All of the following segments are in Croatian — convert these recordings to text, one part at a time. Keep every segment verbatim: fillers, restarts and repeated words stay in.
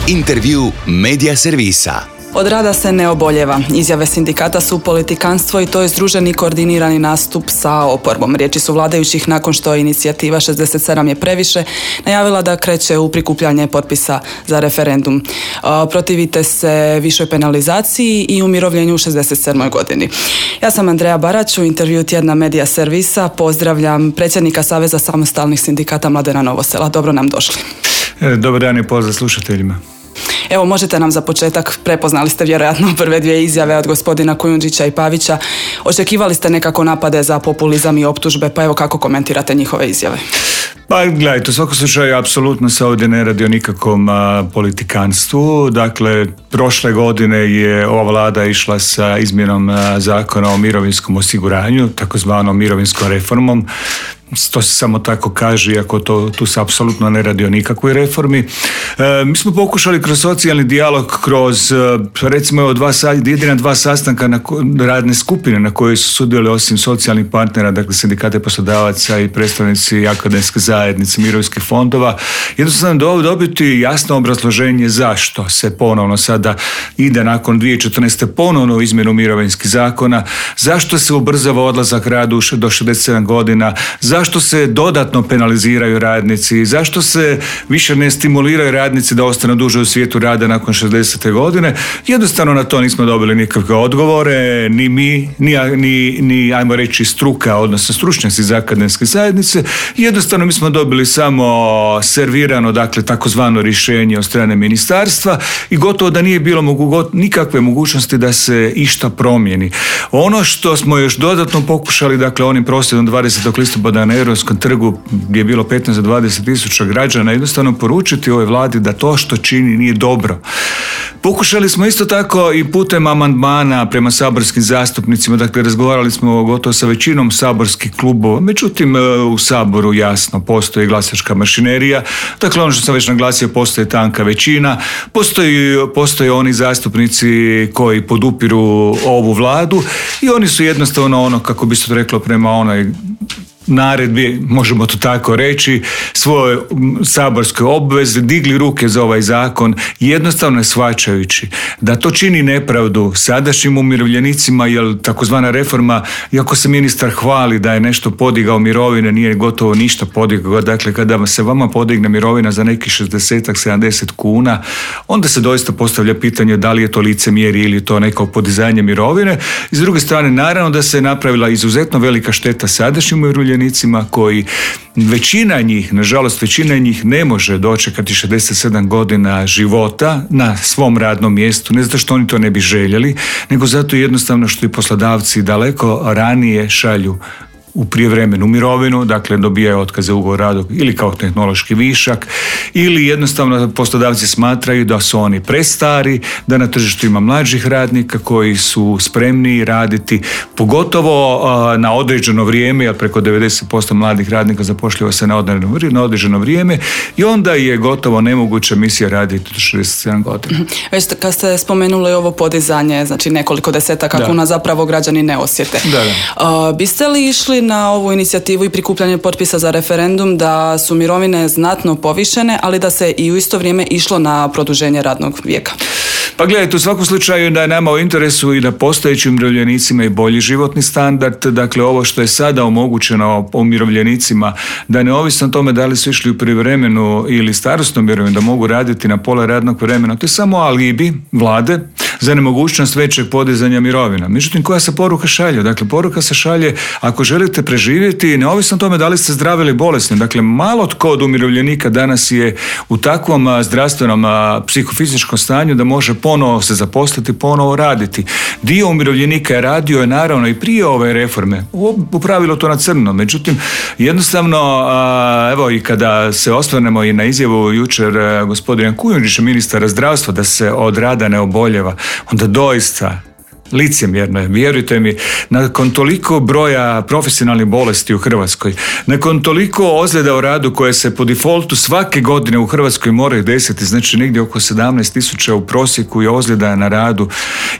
Intervju Medija servisa. Od rada se ne oboljeva. Izjave sindikata su politikanstvo i to je združeni koordinirani nastup sa oporbom. Riječi su vladajućih nakon što inicijativa šezdeset sedam je previše najavila da kreće u prikupljanje potpisa za referendum. Protivite se višoj penalizaciji i umirovljenju u šezdeset sedmoj godini. Ja sam Andreja Barać, u intervju tjedna Medija servisa pozdravljam predsjednika Saveza samostalnih sindikata Mladena Novosela. Dobro nam došli. Dobar dan i pozdrav slušateljima. Evo, možete nam za početak, prepoznali ste vjerojatno prve dvije izjave od gospodina Kujundžića i Pavića. Očekivali ste nekako napade za populizam i optužbe, pa evo kako komentirate njihove izjave? Pa gledajte, u svakom slučaju apsolutno se ovdje ne radi o nikakvom a, politikanstvu. Dakle, prošle godine je ova vlada išla sa izmjenom a, zakona o mirovinskom osiguranju, takozvanom mirovinskom reformom. To se samo tako kaže, iako to, tu se apsolutno ne radi o nikakvoj reformi. E, mi smo pokušali kroz socijalni dijalog, kroz recimo evo, dva, jedina dva sastanka na radne skupine na kojoj su sudjelovali osim socijalnih partnera, dakle sindikate poslodavaca i predstavnici akademske zajednice mirovinskih fondova, jednostavno dobiti jasno obrazloženje zašto se ponovno sada ide nakon dvije tisuće četrnaeste. ponovno u izmjenu mirovinskih zakona, zašto se ubrzava odlazak radu do šezdeset sedam godina, zašto se dodatno penaliziraju radnici, zašto se više ne stimuliraju radnici da ostanu duže u svijetu rada nakon šezdesete godine. Jednostavno na to nismo dobili nikakve odgovore, ni mi, ni, ni, ni ajmo reći struka, odnosno stručnjaci iz akademske zajednice. Jednostavno mi smo dobili samo servirano, dakle, takozvano rješenje od strane ministarstva i gotovo da nije bilo mogu, nikakve mogućnosti da se išta promijeni. Ono što smo još dodatno pokušali, dakle, onim prosvjedom dvadesetog listopada na Europskom trgu gdje je bilo petnaest do dvadeset tisuća građana, jednostavno poručiti ovoj vladi da to što čini nije dobro. Pokušali smo isto tako i putem amandmana prema saborskim zastupnicima, dakle razgovarali smo gotovo sa većinom saborskih klubova, međutim u Saboru jasno postoji glasačka mašinerija, dakle ono što sam već naglasio, postoji tanka većina, postoji, postoje oni zastupnici koji podupiru ovu vladu i oni su jednostavno ono, kako bi se to reklo, prema onoj naredbi, možemo to tako reći, svoje saborske obveze, digli ruke za ovaj zakon, jednostavno shvaćajući da to čini nepravdu sadašnjim umirovljenicima, jer takozvana reforma, iako se ministar hvali da je nešto podigao mirovine, nije gotovo ništa podigao. Dakle, kada se vama podigne mirovina za nekih šezdeset sedamdeset kuna, onda se doista postavlja pitanje da li je to licemjerje ili to neko podizanje mirovine. I s druge strane, naravno da se napravila izuzetno velika šteta sadašnjim umirovljenicima koji većina njih, nažalost većina njih ne može dočekati šezdeset sedam godina života na svom radnom mjestu, ne zato što oni to ne bi željeli, nego zato jednostavno što i poslodavci daleko ranije šalju u prijevremenu mirovinu, dakle dobijaju otkaze ugovor o radu ili kao tehnološki višak, ili jednostavno poslodavci smatraju da su oni prestari, da na tržištu ima mlađih radnika koji su spremni raditi, pogotovo uh, na određeno vrijeme, jer preko devedeset posto mladih radnika zapošljava se na određeno, na određeno vrijeme i onda je gotovo nemoguća misija raditi do šezdeset sedam godina. Već kad ste spomenuli ovo podizanje, znači nekoliko desetaka da. kuna zapravo građani ne osjete. Da, da. Uh, biste li išli na ovu inicijativu i prikupljanje potpisa za referendum da su mirovine znatno povišene, ali da se i u isto vrijeme išlo na produženje radnog vijeka? Pa gledajte, u svakom slučaju da je nama u interesu i da postojećim umirovljenicima i bolji životni standard, dakle ovo što je sada omogućeno umirovljenicima, da neovisno o tome da li su išli u privremenu ili starosnu mirovinu, da mogu raditi na pola radnog vremena, to je samo alibi vlade za nemogućnost većeg podizanja mirovina. Međutim, koja se poruka šalje? Dakle, poruka se šalje ako želite preživjeti, neovisno o tome da li ste zdravi ili bolesni. Dakle, malo tko od umirovljenika danas je u takvom zdravstvenom psihofizičkom stanju da može ponovo se zaposliti, ponovo raditi. Dio umirovljenika je radio je naravno i prije ove reforme, u pravilu to na crno. Međutim, jednostavno, evo i kada se osvrnemo i na izjavu jučer gospodina Kujundžića, ministara zdravstva, da se od rada ne oboljeva, onda doista licemjerno je, vjerujte mi, nakon toliko broja profesionalnih bolesti u Hrvatskoj, nakon toliko ozljeda u radu koje se po defaultu svake godine u Hrvatskoj moraju desiti, znači negdje oko sedamnaest tisuća u prosjeku je ozljeda na radu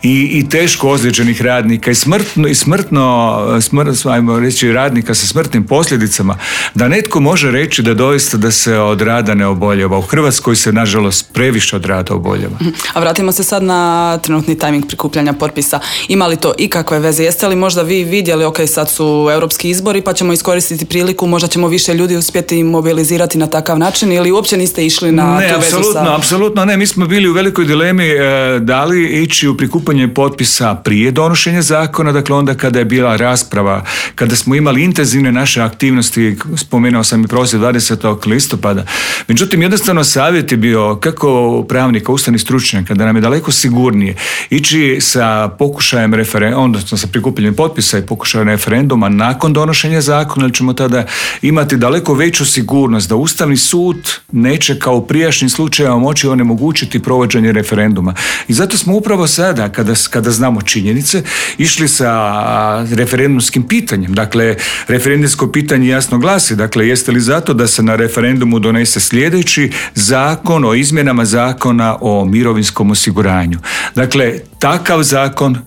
i, i teško ozlijeđenih radnika i smrtno, i smrtno smrt, ajmo reći, radnika sa smrtnim posljedicama, da netko može reći da doista da se od rada ne oboljeva. U Hrvatskoj se nažalost previše od rada oboljeva. A vratimo se sad na trenutni tajming prikupljanja potpisa. Ima li to ikakve veze? Jeste li možda vi vidjeli, ok, sad su europski izbori pa ćemo iskoristiti priliku, možda ćemo više ljudi uspjeti mobilizirati na takav način ili uopće niste išli na ne, tu vezu apsolutno, sa... apsolutno ne. Mi smo bili u velikoj dilemi e, da li ići u prikupljanje potpisa prije donošenja zakona, dakle onda kada je bila rasprava, kada smo imali intenzivne naše aktivnosti, spomenuo sam i prosvjed dvadesetog listopada. Međutim, jednostavno savjet je bio kako pravnika, ustavnih stručnjaka, da nam je daleko sigurnije ići sa pokušajem referenduma, odnosno sa prikupljanjem potpisa i pokušajem referenduma nakon donošenja zakona, jer ćemo tada imati daleko veću sigurnost da Ustavni sud neće kao u prijašnjim slučajevima moći onemogućiti provođenje referenduma. I zato smo upravo sada, kada, kada znamo činjenice, išli sa referendumskim pitanjem. Dakle, referendumsko pitanje jasno glasi, dakle, jeste li zato da se na referendumu donese sljedeći zakon o izmjenama zakona o mirovinskom osiguranju. Dakle, takav zakon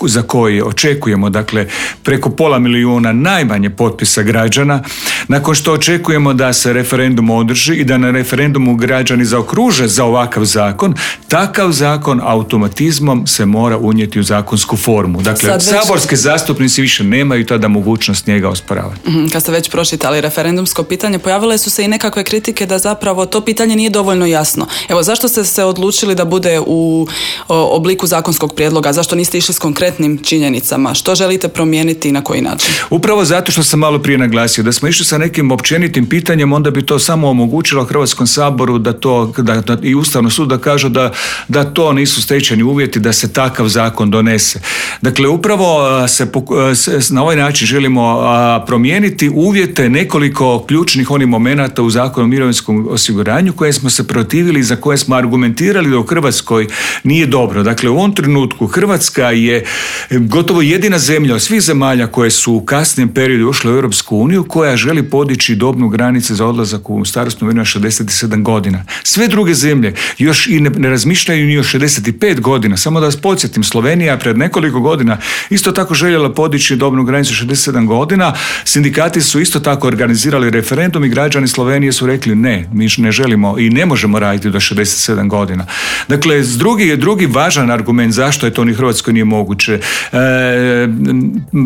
za koji očekujemo, dakle, preko pola milijuna najmanje potpisa građana, nakon što očekujemo da se referendum održi i da na referendumu građani zaokruže za ovakav zakon, takav zakon automatizmom se mora unijeti u zakonsku formu. Dakle, već... saborski zastupnici više nemaju tada mogućnost njega osporavati. Kad ste već pročitali referendumsko pitanje, pojavile su se i nekakve kritike da zapravo to pitanje nije dovoljno jasno. Evo, zašto ste se odlučili da bude u o, obliku zakonskog prijedloga? Zašto niste išli s konkretnim činjenicama? Što želite promijeniti i na koji način? Upravo zato što sam malo prije naglasio, da smo išli sa nekim općenitim pitanjem, onda bi to samo omogućilo Hrvatskom saboru da to, da, da, i Ustavnom sudu da kažu da, da to nisu stečeni uvjeti da se takav zakon donese. Dakle, upravo se, se na ovaj način želimo promijeniti uvjete nekoliko ključnih onih momenata u Zakonu o mirovinskom osiguranju koje smo se protivili i za koje smo argumentirali da u Hrvatskoj nije dobro. Dakle, u ovom trenutku Hrvatska je gotovo jedina zemlja od svih zemalja koje su u kasnijem periodu ušle u Europsku uniju koja želi podići dobnu granicu za odlazak u starosnu mirovinu na šezdeset sedam godina. Sve druge zemlje još i ne, ne razmišljaju ni o šezdeset pet godina. Samo da vas podsjetim, Slovenija pred nekoliko godina isto tako željela podići dobnu granicu šezdeset sedam godina. Sindikati su isto tako organizirali referendum i građani Slovenije su rekli ne, mi ne želimo i ne možemo raditi do šezdeset sedam godina. Dakle, drugi je drugi važan argument zašto je to ni Hrvatskoj nije moguće. E,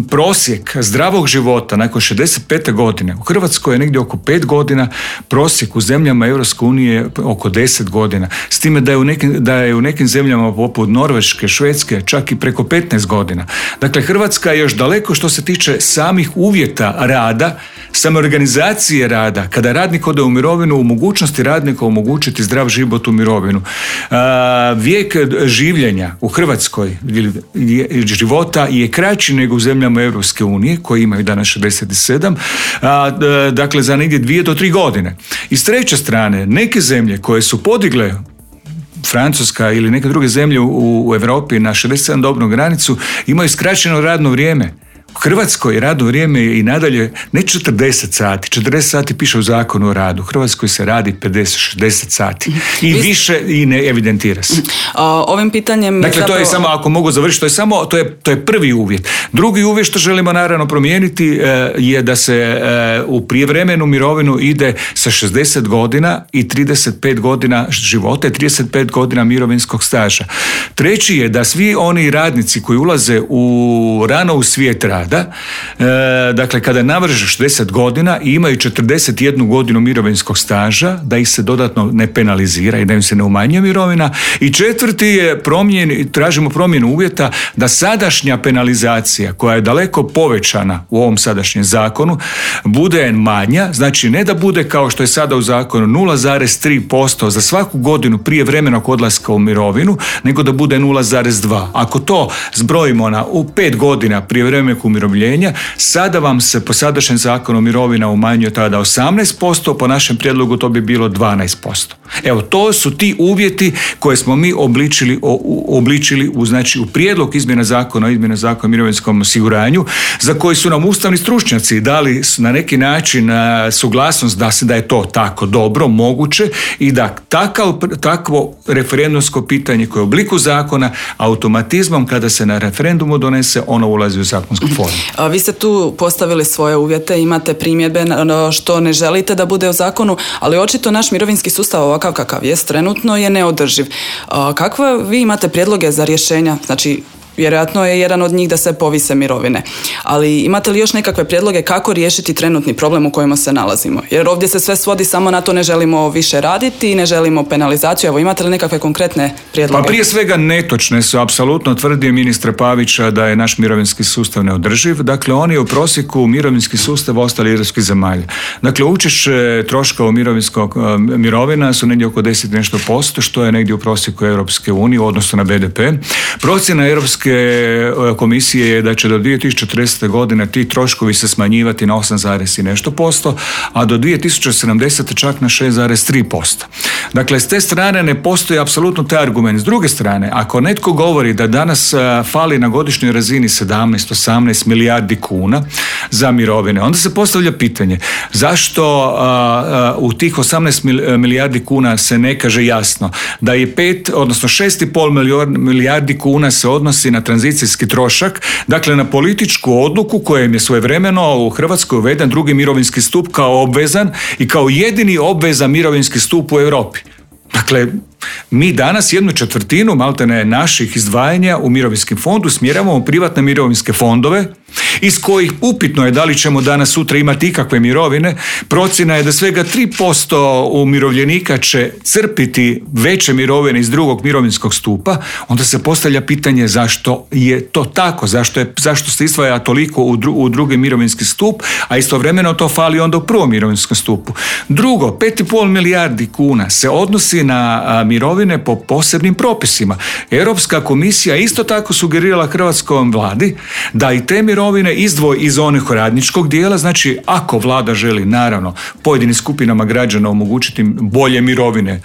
prosjek zdravog života nakon šezdeset pete godine u Hrvatskoj je negdje oko pet godina, prosjek u zemljama Europske unije oko deset godina. S time da je u nekim, da je u nekim zemljama poput Norveške, Švedske čak i preko petnaest godina. Dakle, Hrvatska je još daleko što se tiče samih uvjeta rada, same organizacije rada, kada radnik ode u mirovinu, u mogućnosti radnika omogućiti zdrav život u mirovinu. A, vijek življenja u Hrvatskoj života je kraći nego u zemljama Europske unije koji imaju danas šezdeset sedam, a, dakle za negdje dvije do tri godine. I s treće strane, neke zemlje koje su podigle, Francuska ili neke druge zemlje u, u Europi na šezdeset sedam dobnu granicu, imaju skraćeno radno vrijeme. U Hrvatskoj radno vrijeme je i nadalje ne četrdeset sati, četrdeset sati piše u Zakonu o radu, u Hrvatskoj se radi pedeset šezdeset sati i Vi... više i ne evidentira se. O, ovim pitanjem... Dakle, zapravo... to je samo, ako mogu završiti, to je samo, to je, to je prvi uvjet. Drugi uvjet što želimo naravno promijeniti e, je da se e, u prijevremenu mirovinu ide sa šezdeset godina i trideset pet godina života i trideset pet godina mirovinskog staža. Treći je da svi oni radnici koji ulaze u rano u svijet rada, Da, e, dakle kada navrše šezdeset godina i imaju četrdeset jednu godinu mirovinskog staža, da ih se dodatno ne penalizira i da im se ne umanjuje mirovina. I četvrti je promjen, tražimo promjenu uvjeta da sadašnja penalizacija koja je daleko povećana u ovom sadašnjem zakonu bude manja, znači ne da bude kao što je sada u zakonu nula zarez tri posto za svaku godinu prije vremenog odlaska u mirovinu, nego da bude nula zarez dva. Ako to zbrojimo na u pet godina prije vremenog umirovljenja. Sada vam se po sadašnjem zakonu mirovina umanjuje tada osamnaest posto, po našem prijedlogu to bi bilo dvanaest posto. Evo, to su ti uvjeti koje smo mi obličili, obličili u, znači, u prijedlog izmjena zakona o izmjena zakona o mirovinskom osiguranju, za koji su nam ustavni stručnjaci dali na neki način suglasnost da se da je to tako dobro, moguće i da takav, takvo referendumsko pitanje koje je u obliku zakona automatizmom kada se na referendumu donese, ono ulazi u zakonsku formu. A vi ste tu postavili svoje uvjete, imate primjedbe što ne želite da bude u zakonu, ali očito naš mirovinski sustav ovakav kakav jest trenutno je neodrživ. A kakve vi imate prijedloge za rješenja? Znači, vjerojatno je jedan od njih da se povise mirovine. Ali imate li još nekakve prijedloge kako riješiti trenutni problem u kojima se nalazimo? Jer ovdje se sve svodi samo na to ne želimo više raditi, ne želimo penalizaciju. Evo, imate li nekakve konkretne prijedloge? Pa prije svega netočne su apsolutno tvrdnje ministra Pavića da je naš mirovinski sustav neodrživ. Dakle, on je u prosjeku mirovinski sustav ostali europskih zemalja. Dakle, učešće troškova mirovinskog mirovina su negdje oko deset nešto posto, što je negdje u prosjeku Europske unije u odnosu na be de pe. Procjena Europske komisije je da će do dvije tisuće četrdeset. godine ti troškovi se smanjivati na osam zarez i nešto posto, a do dvije tisuće sedamdesete. čak na šest zarez tri posto. Dakle, s te strane ne postoji apsolutno taj argument. S druge strane, ako netko govori da danas fali na godišnjoj razini sedamnaest osamnaest milijardi kuna za mirovine, onda se postavlja pitanje zašto a, a, u tih osamnaest milijardi kuna se ne kaže jasno da je pet, odnosno šest i pol milijardi kuna se odnosi na tranzicijski trošak, dakle na političku odluku kojem je svojevremeno u Hrvatskoj uveden drugi mirovinski stup kao obvezan i kao jedini obvezan mirovinski stup u Europi. Dakle, mi danas jednu četvrtinu maltene naših izdvajanja u mirovinskim fondu smjeravamo u privatne mirovinske fondove iz kojih upitno je da li ćemo danas sutra imati ikakve mirovine. Procjena je da svega tri posto umirovljenika će crpiti veće mirovine iz drugog mirovinskog stupa. Onda se postavlja pitanje zašto je to tako, zašto, je, zašto se izdvaja toliko u, dru, u drugi mirovinski stup, a istovremeno to fali onda u prvom mirovinskom stupu. Drugo, pet i pol milijardi kuna se odnosi na a, mirovine po posebnim propisima. Europska komisija isto tako sugerirala hrvatskom vladi da i te mirovine izdvoji iz onih radničkog dijela, znači ako vlada želi naravno pojedinim skupinama građana omogućiti bolje mirovine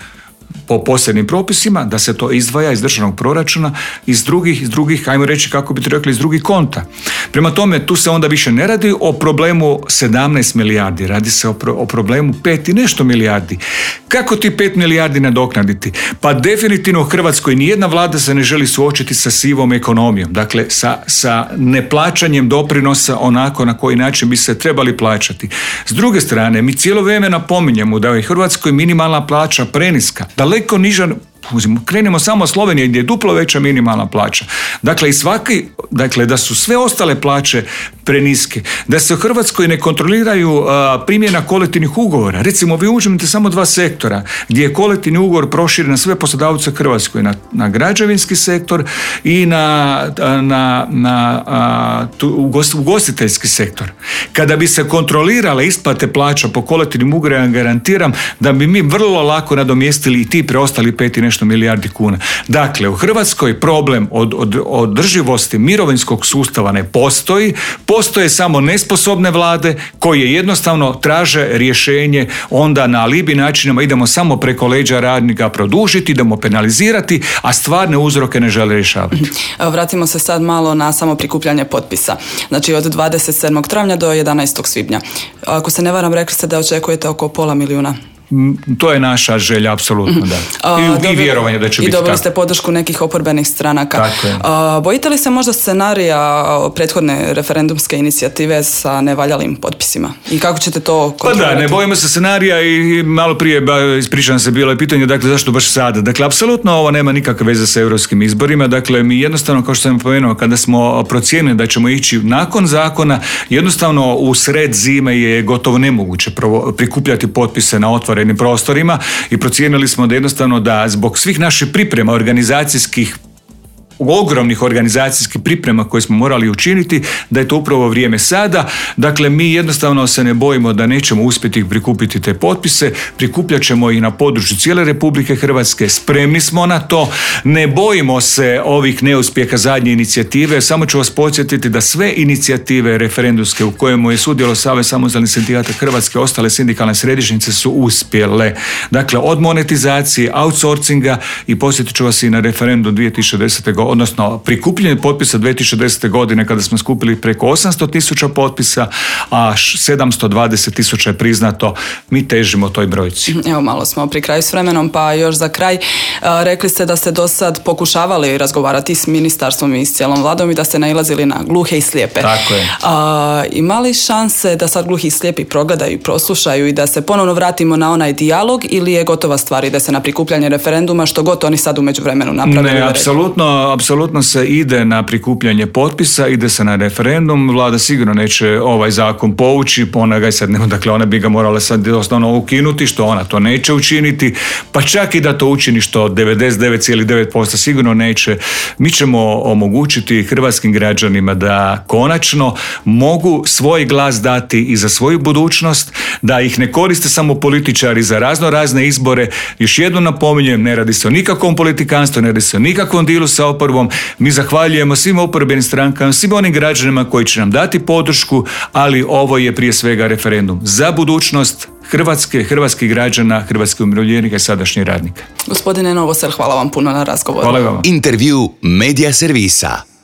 po posebnim propisima, da se to izdvaja iz državnog proračuna, iz drugih, iz drugih, ajmo reći kako bi to rekli, iz drugih konta. Prema tome, tu se onda više ne radi o problemu sedamnaest milijardi, radi se o, pro, o problemu pet i nešto milijardi. Kako ti pet milijardi nadoknaditi? Pa definitivno u Hrvatskoj nijedna vlada se ne želi suočiti sa sivom ekonomijom, dakle sa, sa neplaćanjem doprinosa onako na koji način bi se trebali plaćati. S druge strane, mi cijelo vrijeme napominjemo da je u Hrvatskoj minimalna plaća preniska, daleko niža. Krenemo samo od Slovenije gdje je duplo veća minimalna plaća. Dakle, i svaki, dakle, da su sve ostale plaće preniske, da se u Hrvatskoj ne kontroliraju a, primjena kolektivnih ugovora. Recimo, vi uzmete samo dva sektora gdje je kolektivni ugovor proširen na sve poslodavce u Hrvatskoj, na, na građevinski sektor i na, na, na a, tu, ugostiteljski sektor. Kada bi se kontrolirale isplate plaća po kolektivnim ugovorima, garantiram da bi mi vrlo lako nadomjestili i ti preostali pet i nešto milijardi kuna. Dakle, u Hrvatskoj problem od, od, održivosti mirovinskog sustava ne postoji, postoje samo nesposobne vlade koje jednostavno traže rješenje onda na alibi načinima, idemo samo preko leđa radnika produžiti, idemo penalizirati, a stvarne uzroke ne žele rješavati. Vratimo se sad malo na samo prikupljanje potpisa. Znači od dvadeset sedmog travnja do jedanaestog svibnja. Ako se ne varam, rekli ste da očekujete oko pola milijuna. To je naša želja, apsolutno, da. I, dobili, i vjerovanje da će biti tako. I dobili ste podršku nekih oporbenih stranaka. Tako je. A, bojite li se možda scenarija prethodne referendumske inicijative sa nevaljalim potpisima? I kako ćete to kontrolirati? Pa da, ne bojimo se scenarija i malo prije, ispričavam se, bilo je pitanje, dakle, zašto baš sada? Dakle, apsolutno ovo nema nikakve veze sa europskim izborima. Dakle, mi jednostavno, kao što sam pomenuo, kada smo procijenili da ćemo ići nakon zakona, jednostavno u sred zime je gotovo nemoguće prikupljati potpise na otvorenim prostorima i procijenili smo da jednostavno da zbog svih naših priprema organizacijskih ogromnih organizacijskih priprema koje smo morali učiniti, da je to upravo vrijeme sada. Dakle, mi jednostavno se ne bojimo da nećemo uspjeti prikupiti te potpise, prikupljat ćemo ih na području cijele Republike Hrvatske, spremni smo na to, ne bojimo se ovih neuspjeha zadnje inicijative, samo ću vas podsjetiti da sve inicijative referendumske u kojemu je sudjelovao Savez samostalnih sindikata Hrvatske, ostale sindikalne središnjice su uspjele. Dakle, od monetizacije, outsourcinga i posjetit ću vas i na referendum dvije tisuće desete. godine, odnosno prikupljanje potpisa dvije tisuće desete. godine kada smo skupili preko osamsto tisuća potpisa, a sedamsto dvadeset tisuća je priznato, mi težimo toj brojci. Evo, malo smo pri kraju s vremenom, pa još za kraj, rekli ste da ste do sad pokušavali razgovarati s ministarstvom i s cijelom vladom i da ste nailazili na gluhe i slijepe. Tako je. A, ima li šanse da sad gluhi i slijepi progledaju i proslušaju i da se ponovno vratimo na onaj dijalog, ili je gotova stvar, ide se na prikupljanje referenduma, što god oni sad u međuvremenu napravili? Ne, apsolutno, apsolutno se ide na prikupljanje potpisa, ide se na referendum. Vlada sigurno neće ovaj zakon povući, ona ga i sad nema, dakle ona bi ga morala sad osnovno ukinuti, što ona to neće učiniti, pa čak i da to učini, što devedeset devet zarez devet posto sigurno neće. Mi ćemo omogućiti hrvatskim građanima da konačno mogu svoj glas dati i za svoju budućnost, da ih ne koriste samo političari za razno razne izbore. Još jednom napominjem, ne radi se o nikakvom politikanstvu, ne radi se o nikakvom dilu sa oporbom. Mi zahvaljujemo svim oporbenim strankama, svim onim građanima koji će nam dati podršku, ali ovo je prije svega referendum za budućnost Hrvatske, hrvatskih građana, hrvatskih umirovljenika i sadašnjih radnika. Gospodine Novosel, hvala vam puno na razgovoru. Hvala vam. Intervju Medija servisa.